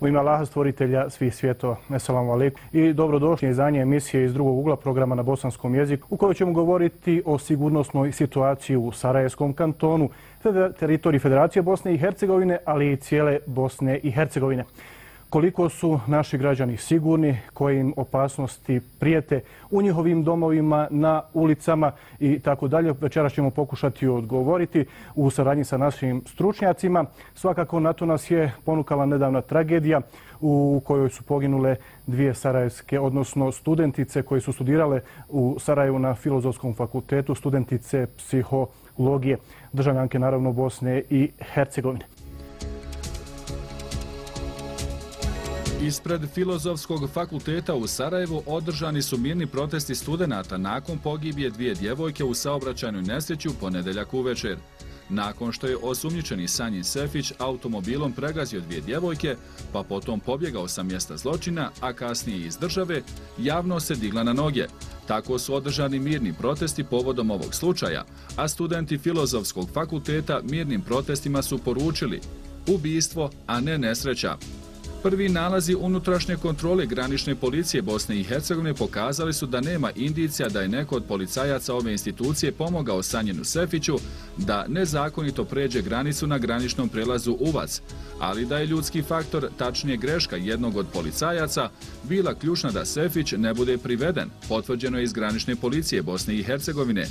U ime Allaha stvoritelja svih svjetova. Esselamu alejkum i dobrodošli izdanje emisije iz drugog ugla programa na bosanskom jeziku u kojoj ćemo govoriti o sigurnosnoj situaciji u Sarajevskom kantonu, teritoriji Federacije Bosne i Hercegovine, ali i cijele Bosne i Hercegovine. Koliko su naši građani sigurni, koje im opasnosti prijete u njihovim domovima, na ulicama i tako dalje. Večeras ćemo pokušati odgovoriti u saradnji sa našim stručnjacima. Svakako na to nas je ponukala nedavna tragedija u kojoj su poginule dvije sarajevske, odnosno studentice koje su studirale u Sarajevu na Filozofskom fakultetu, studentice psihologije, državljanke naravno Bosne i Hercegovine. Ispred Filozofskog fakulteta u Sarajevu održani su mirni protesti studenata nakon pogibije dvije djevojke u saobraćajnoj nesreći u ponedjeljak uvečer. Nakon što je osumnjičeni Sanjin Sefić automobilom pregazio dvije djevojke, pa potom pobjegao sa mjesta zločina, a kasnije iz države, javnost se digla na noge. Tako su održani mirni protesti povodom ovog slučaja, a studenti Filozofskog fakulteta mirnim protestima su poručili ubistvo, a ne nesreća. Prvi nalazi unutrašnje kontrole granične policije Bosne i Hercegovine pokazali su da nema indicija da je neko od policajaca ove institucije pomogao Sanjinu Sefiću da nezakonito pređe granicu na graničnom prelazu Uvac, ali da je ljudski faktor, tačnije greška jednog od policajaca, bila ključna da Sefić ne bude priveden, potvrđeno je iz granične policije Bosne i Hercegovine.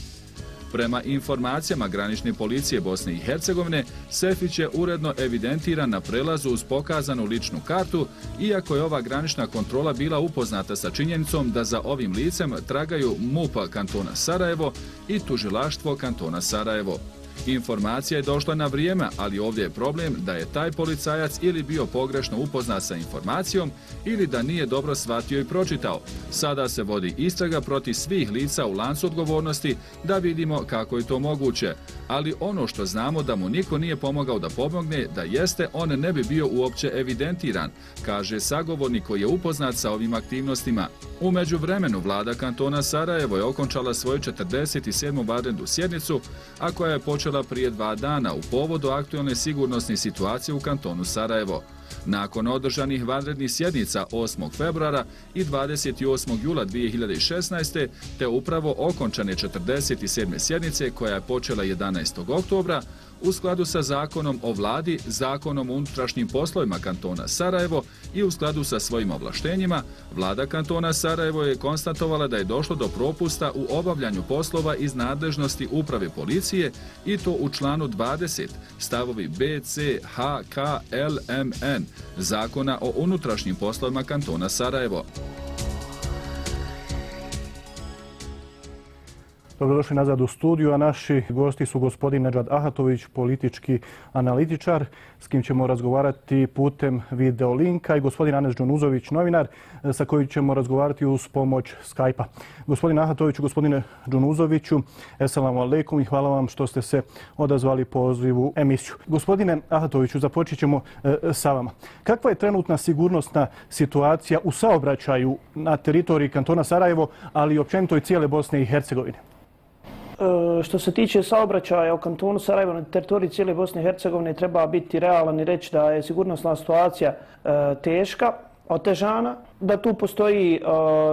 Prema informacijama granične policije Bosne i Hercegovine, Sefić je uredno evidentiran na prelazu uz pokazanu ličnu kartu, iako je ova granična kontrola bila upoznata sa činjenicom da za ovim licem tragaju MUP kantona Sarajevo i tužilaštvo kantona Sarajevo. Informacija je došla na vrijeme, ali ovdje je problem da je taj policajac ili bio pogrešno upoznat sa informacijom ili da nije dobro shvatio i pročitao. Sada se vodi istraga protiv svih lica u lancu odgovornosti da vidimo kako je to moguće. Ali ono što znamo da mu niko nije pomogao da pomogne, da jeste, on ne bi bio uopće evidentiran, kaže sagovornik koji je upoznat sa ovim aktivnostima. U međuvremenu vlada kantona Sarajevo je okončala svoju 47. vanrednu sjednicu, a koja je počela prije 2 dana u povodu aktualne sigurnosne situacije u kantonu Sarajevo. Nakon održanih vanrednih sjednica 8. februara i 28. jula 2016. te upravo okončane 47. sjednice koja je počela 11. oktobra, u skladu sa zakonom o vladi, zakonom o unutrašnjim poslovima kantona Sarajevo i u skladu sa svojim ovlaštenjima, vlada kantona Sarajevo je konstatovala da je došlo do propusta u obavljanju poslova iz nadležnosti uprave policije i to u članu 20, stavovi B, C, H, K, L, M, N, zakona o unutrašnjim poslovima kantona Sarajevo. Dobrodošli nazad u studiju, a naši gosti su gospodin Nedžad Ahatović, politički analitičar, s kim ćemo razgovarati putem video linka, i gospodin Anes Džunuzović, novinar, sa kojim ćemo razgovarati uz pomoć Skype-a. Gospodin Ahatoviću, gospodine Džunuzoviću, esselamu alejkum i hvala vam što ste se odazvali pozivu emisiju. Gospodine Ahatoviću, započet ćemo sa vama. Kakva je trenutna sigurnosna situacija u saobraćaju na teritoriji kantona Sarajevo, ali i općenito i cijele Bosne i Hercegovine? Što se tiče saobraćaja u kantonu Sarajevo na teritoriji cijele Bosne i Hercegovine, treba biti realan i reći da je sigurnosna situacija teška, otežana, da tu postoji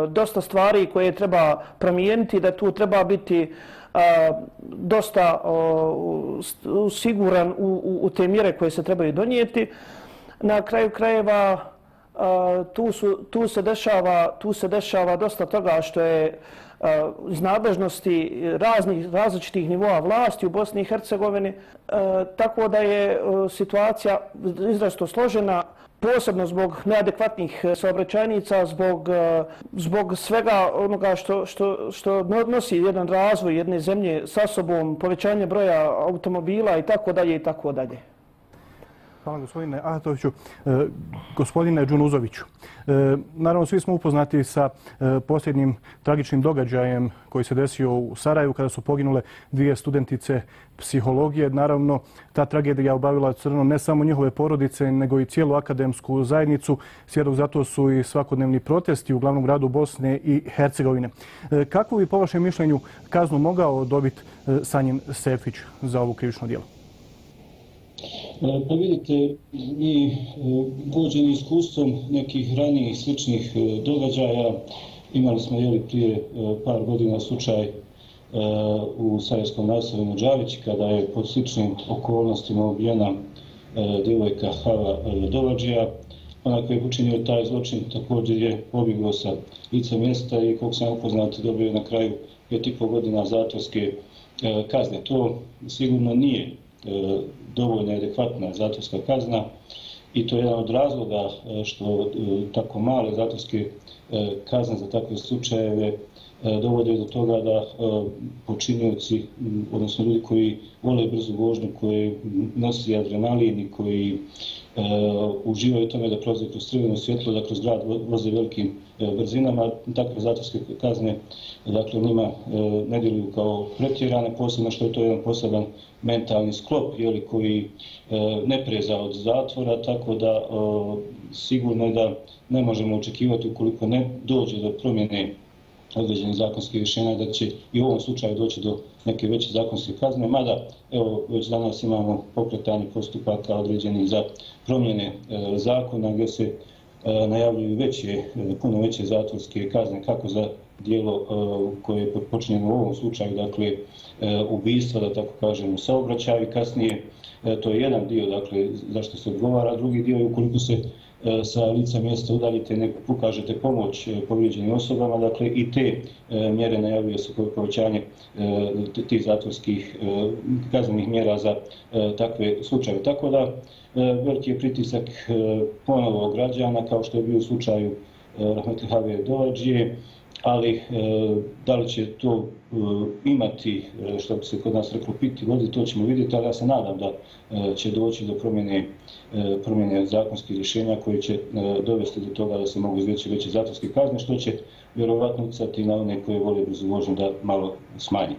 dosta stvari koje treba promijeniti, da tu treba biti dosta siguran u te mjere koje se trebaju donijeti. Na kraju krajeva tu se dešava dosta toga što je iz nadležnosti različitih nivoa vlasti u Bosni i Hercegovini, tako da je situacija izrazito složena, posebno zbog neadekvatnih saobraćajnica, zbog svega onoga što nosi jedan razvoj jedne zemlje sa sobom, povećanje broja automobila i tako dalje i tako dalje. Hvala gospodine Ahatoviću. Gospodine Džunuzoviću, naravno svi smo upoznati sa posljednjim tragičnim događajem koji se desio u Sarajevu kada su poginule dvije studentice psihologije. Naravno, ta tragedija obavila crno ne samo njihove porodice, nego i cijelu akademsku zajednicu. Svjedok zato su i svakodnevni protesti u glavnom gradu Bosne i Hercegovine. Kako bi po vašem mišljenju kaznu mogao dobiti Sanjin Sefić za ovo krivično djelo? Pa vidite, i vođeni iskustvom nekih ranijih sličnih događaja, imali smo prije par godina slučaj u sarajevskom naselju Đavić, kada je pod sličnim okolnostima ubijena djevojka Hava Dovadžija. Onaj koji je počinio taj zločin također je pobjegao sa lica mjesta i, koliko sam upoznat, dobio je na kraju 5,5 godina zatvorske kazne. To sigurno nije dovoljno adekvatna zatvorska kazna i to je jedan od razloga što tako male zatvorske kazne za takve slučajeve dovode do toga da počinioci, odnosno ljudi koji vole brzu vožnju, koji nosi adrenalin i koji uživaju u tome da prolaze kroz crveno svjetlo, da kroz grad voze velikim brzinama, takve zatvorske kazne njima ne djeluju kao pretjerane, posebno što je to jedan poseban mentalni sklop koji ne preza od zatvora, tako da sigurno je da ne možemo očekivati, ukoliko ne dođe do promjene određenih zakonskih rješenja, da će i u ovom slučaju doći do neke veće zakonske kazne, mada već danas imamo pokretanje postupaka određenih za promjene zakona gdje se najavljuju puno veće zatvorske kazne, kako za djelo koje je počinjeno u ovom slučaju, dakle ubistva, da tako kažem, u saobraćaju. Kasnije to je jedan dio, zašto se odgovara, drugi dio je ukoliko se sa lica mjesta udaljite, ne pokažete pomoć povrijeđenim osobama, i te mjere najavljuje se povećanje tih zatvorskih kaznenih mjera za takve slučaje. Tako da veliki je pritisak ponovo građana, kao što je bio u slučaju rahmetli Have Dovadžije, ali da li će to imati, što bi se kod nas reklo, piti vodi, to ćemo vidjeti, ali ja se nadam da će doći do promjene zakonskih rješenja koji će dovesti do toga da se mogu izreći veće zatvorske kazne, što će vjerovatno utjecati na one koji vole brzu vožnju da malo smanji.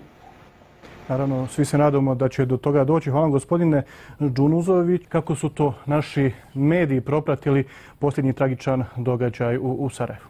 Naravno, svi se nadamo da će do toga doći. Hvala gospodine Đunuzović. Kako su to naši mediji propratili posljednji tragičan događaj u Sarajevu?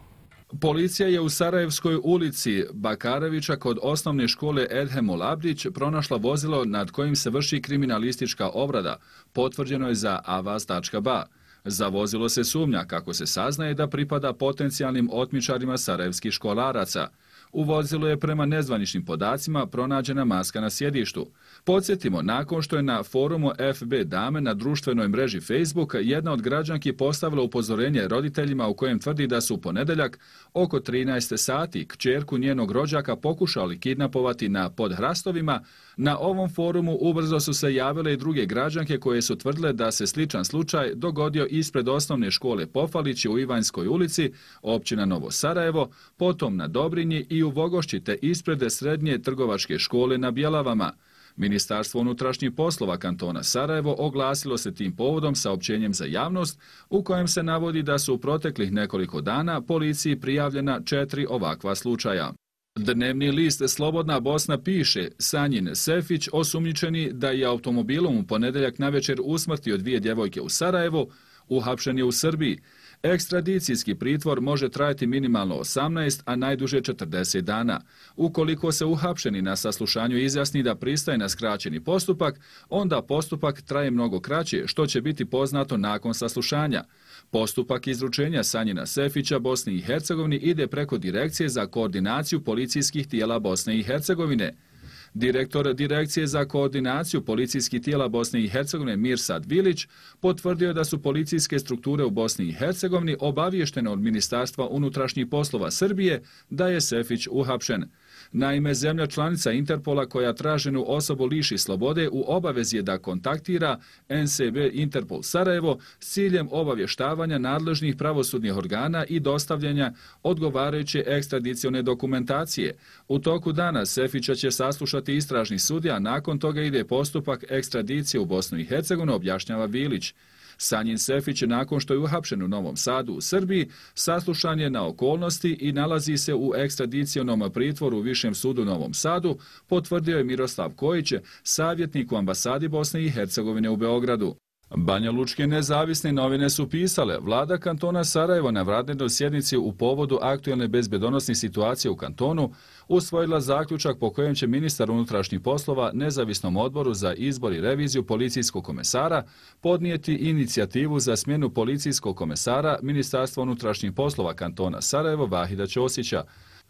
Policija je u Sarajevskoj ulici Bakarevića kod osnovne škole Edhemul Abdić pronašla vozilo nad kojim se vrši kriminalistička obrada. Potvrđeno je za avaz.ba. Za vozilo se sumnja, kako se saznaje, da pripada potencijalnim otmičarima sarajevskih školaraca. U vozilu je prema nezvaničnim podacima pronađena maska na sjedištu. Podsjetimo, nakon što je na forumu FB Dame na društvenoj mreži Facebook jedna od građanki postavila upozorenje roditeljima u kojem tvrdi da su u ponedjeljak oko 13 sati kćerku njenog rođaka pokušali kidnapovati na Podhrastovima, na ovom forumu ubrzo su se javile i druge građanke koje su tvrdile da se sličan slučaj dogodio ispred osnovne škole Pofalići u Ivanjskoj ulici, općina Novo Sarajevo, potom na Dobrinji i u Vogošći te ispred srednje trgovačke škole na Bjelavama. Ministarstvo unutrašnjih poslova kantona Sarajevo oglasilo se tim povodom saopćenjem za javnost u kojem se navodi da su u proteklih nekoliko dana policiji prijavljena 4 ovakva slučaja. Dnevni list Slobodna Bosna piše: Sanjin Sefić, osumnjičeni da je automobilom u ponedjeljak navečer usmrtio 2 djevojke u Sarajevu, uhapšen je u Srbiji. Ekstradicijski pritvor može trajati minimalno 18, a najduže 40 dana. Ukoliko se uhapšeni na saslušanju izjasni da pristaje na skraćeni postupak, onda postupak traje mnogo kraće, što će biti poznato nakon saslušanja. Postupak izručenja Sanjina Sefića Bosni i Hercegovini ide preko Direkcije za koordinaciju policijskih tijela Bosne i Hercegovine. Direktor Direkcije za koordinaciju policijskih tijela Bosne i Hercegovine Mirsad Vilić potvrdio je da su policijske strukture u Bosni i Hercegovini obaviještene od Ministarstva unutrašnjih poslova Srbije da je Sefić uhapšen. Naime, zemlja članica Interpola koja traženu osobu liši slobode u obavezi je da kontaktira NSB Interpol Sarajevo s ciljem obavještavanja nadležnih pravosudnih organa i dostavljanja odgovarajuće ekstradicione dokumentacije. U toku dana Sefića će saslušati istražni sudija, nakon toga ide postupak ekstradicije u Bosnu i Hercegovinu, objašnjava Vilić. Sanjin Sefić, nakon što je uhapšen u Novom Sadu u Srbiji, saslušan je na okolnosti i nalazi se u ekstradicionom pritvoru u Višem sudu u Novom Sadu, potvrdio je Miroslav Kojić, savjetnik u ambasadi Bosne i Hercegovine u Beogradu. Banja Lučke nezavisne novine su pisale, vlada kantona Sarajevo na vanrednoj sjednici u povodu aktualne bezbjedonosne situacije u kantonu usvojila zaključak po kojem će ministar unutrašnjih poslova nezavisnom odboru za izbor i reviziju policijskog komesara podnijeti inicijativu za smjenu policijskog komesara Ministarstva unutrašnjih poslova kantona Sarajevo Vahida Ćosića.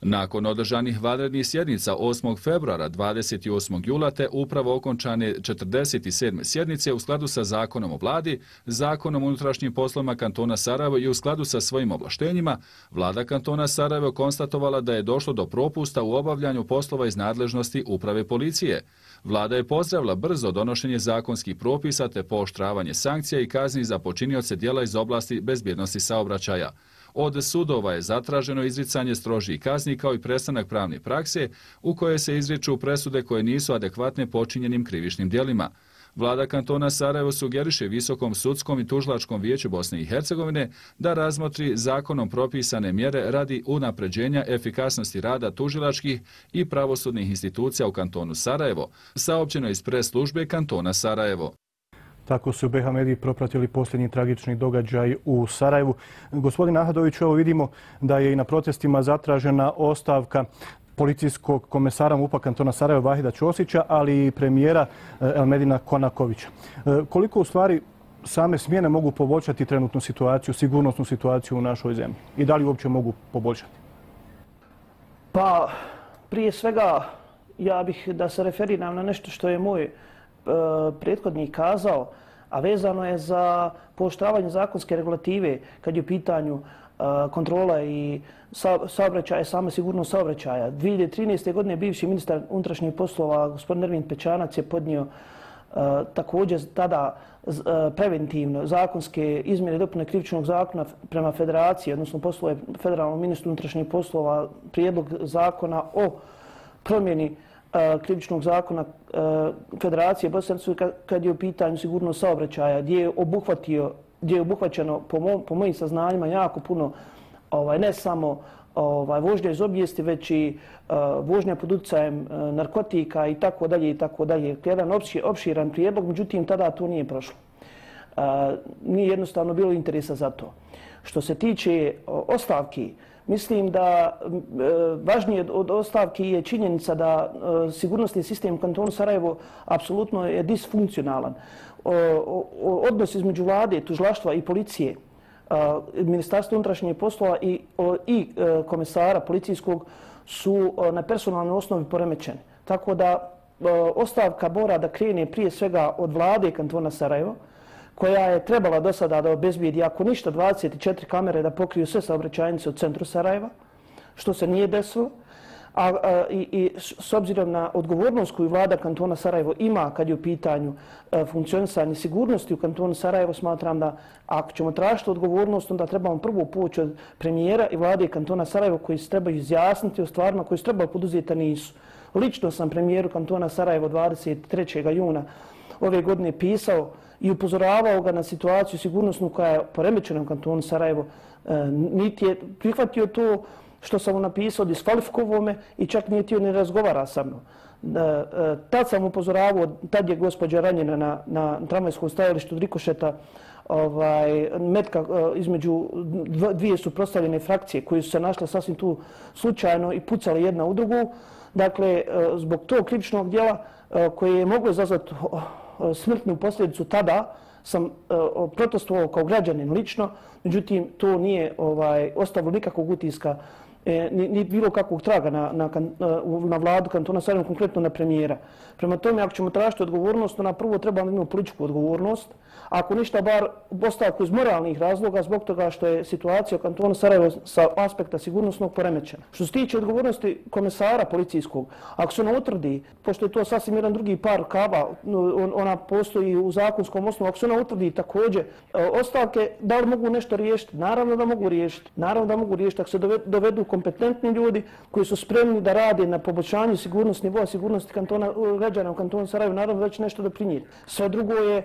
Nakon održanih vanrednih sjednica 8. februara, 28. jula te upravo okončane 47. sjednice u skladu sa Zakonom o vladi, Zakonom o unutrašnjim poslovima kantona Sarajevo i u skladu sa svojim ovlaštenjima, vlada kantona Sarajevo konstatovala da je došlo do propusta u obavljanju poslova iz nadležnosti uprave policije. Vlada je pozdravila brzo donošenje zakonskih propisa te pooštravanje sankcija i kazni za počinioce djela iz oblasti bezbjednosti saobraćaja. Od sudova je zatraženo izricanje strožih kazni kao i prestanak pravne prakse u koje se izriču presude koje nisu adekvatne počinjenim krivičnim djelima. Vlada kantona Sarajevo sugeriše Visokom sudskom i tužilačkom vijeću Bosne i Hercegovine da razmotri zakonom propisane mjere radi unapređenja efikasnosti rada tužilačkih i pravosudnih institucija u kantonu Sarajevo, saopćeno iz pres službe kantona Sarajevo. Tako su BiH mediji propratili posljednji tragični događaj u Sarajevu. Gospodin Ahadović, evo vidimo da je i na protestima zatražena ostavka policijskog komesara MUP-a kantona Sarajevo Vahida Ćosića, ali i premijera Elmedina Konakovića. Koliko u stvari same smjene mogu poboljšati trenutnu situaciju, sigurnosnu situaciju u našoj zemlji? I da li uopće mogu poboljšati? Pa, prije svega, ja bih da se referiram na nešto što je moj prethodnik kazao, a vezano je za pooštravanje zakonske regulative kad je u pitanju kontrola i saobraćaja, sama sigurnost saobraćaja. 2013. godine bivši ministar unutrašnjih poslova, gospodin Ervin Pečanac, je podnio također tada preventivno zakonske izmjene i dopune krivičnog zakona prema federaciji, odnosno poslove federalnom ministru unutrašnjih poslova, prijedlog zakona o promjeni krivičnog zakona Federacije Bosne i Hercegovine kad je u pitanju sigurnost saobraćaja, gdje je obuhvaćeno po mojim saznanjima jako puno ne samo vožnja iz obijesti, već i vožnja pod utjecajem narkotika i tako dalje i tako dalje. Jedan opširan prijedlog, međutim tada to nije prošlo. Nije jednostavno bilo interesa za to. Što se tiče ostavki, mislim da važnije od ostavki je činjenica da sigurnosni sistem u kantonu Sarajevo apsolutno je disfunkcionalan. Odnos između vlade, tužilaštva i policije, Ministarstva unutrašnjih poslova i komesara policijskog su na personalnoj osnovi poremećeni. Tako da ostavka mora da krene prije svega od vlade kantona Sarajevo, koja je trebala do sada da obezbijedi, ako ništa, 24 kamere da pokriju sve saobraćajnice u centru Sarajeva, što se nije desilo. I s obzirom na odgovornost koju vlada kantona Sarajevo ima kad je u pitanju funkcionisanje sigurnosti u kantonu Sarajevo, smatram da ako ćemo tražiti odgovornost, onda trebamo prvo poći od premijera i vlade kantona Sarajevo koji se trebaju izjasniti o stvarima koje su trebali poduzeti, a nisu. Lično sam premijeru kantona Sarajevo 23. juna ove godine pisao i upozoravao ga na situaciju sigurnosnu koja je poremećena u kantonu Sarajevo. Niti je prihvatio to što sam mu napisao, diskvalifikovao me i čak nije htio ni razgovara sa mnom. Tad sam upozoravao, tad je gospođa ranjena na tramvajskom stajalištu od rikošeta metka između dvije suprotstavljene frakcije koje su se našle sasvim tu slučajno i pucale jedna u drugu. Dakle, zbog tog krivičnog djela koje je moglo izazvati smrtnu posljedicu, tada sam protestovao kao građanin lično, međutim to nije ostavilo nikakvog utiska ni bilo kakvog traga na vladu kantona Sarajevo, konkretno na premijera. Prema tome, ako ćemo tražiti odgovornost, onda prvo trebamo imati političku odgovornost, ako ništa bar ostavku iz moralnih razloga zbog toga što je situacija u kantonu Sarajevo sa aspekta sigurnosnog poremećena. Što se tiče odgovornosti komesara policijskog, ako se ona utvrdi, pošto je to sasvim jedan drugi par rukava, ona postoji u zakonskom osnovu, ako se ona utvrdi također ostavke, da li mogu nešto riješiti? Naravno da mogu riješiti. Naravno da mogu riješiti ako se dovedu kompetentni ljudi koji su spremni da rade na poboljšanju sigurnosti nivoa sigurnosti građana u kantonu Sarajevo, naravno da će nešto doprinijeti. Sve drugo je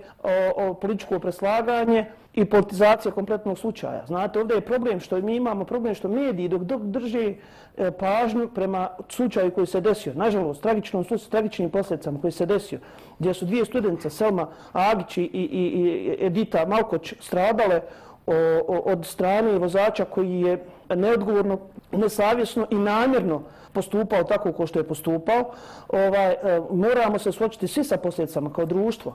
političko preslaganje i politizacija kompletnog slučaja. Znate, ovdje je problem što mi imamo, problem što mediji dok drže pažnju prema slučaju koji se desio. Nažalost, tragičnim posljedicama koji se desio, gdje su dvije studentice, Selma Agić i Edita Malkoć, stradale od strane vozača koji je neodgovorno, nesavjesno i namjerno postupao tako kao što je postupao. Moramo se suočiti svi sa posljedicama kao društvo.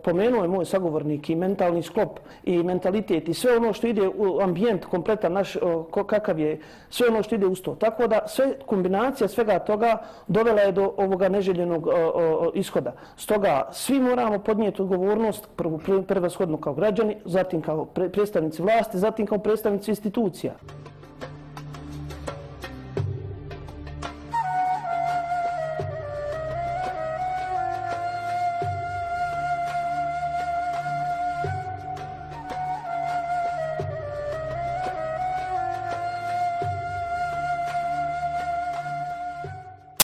Pomenuo je moj sagovornik i mentalni sklop i mentalitet i sve ono što ide u ambijent kompletan naš, kakav je, sve ono što ide uz to. Tako da kombinacija svega toga dovela je do ovoga neželjenog ishoda. Stoga svi moramo podnijeti odgovornost prvenshodno kao građani, zatim kao predstavnici vlasti, zatim kao predstavnici institucija.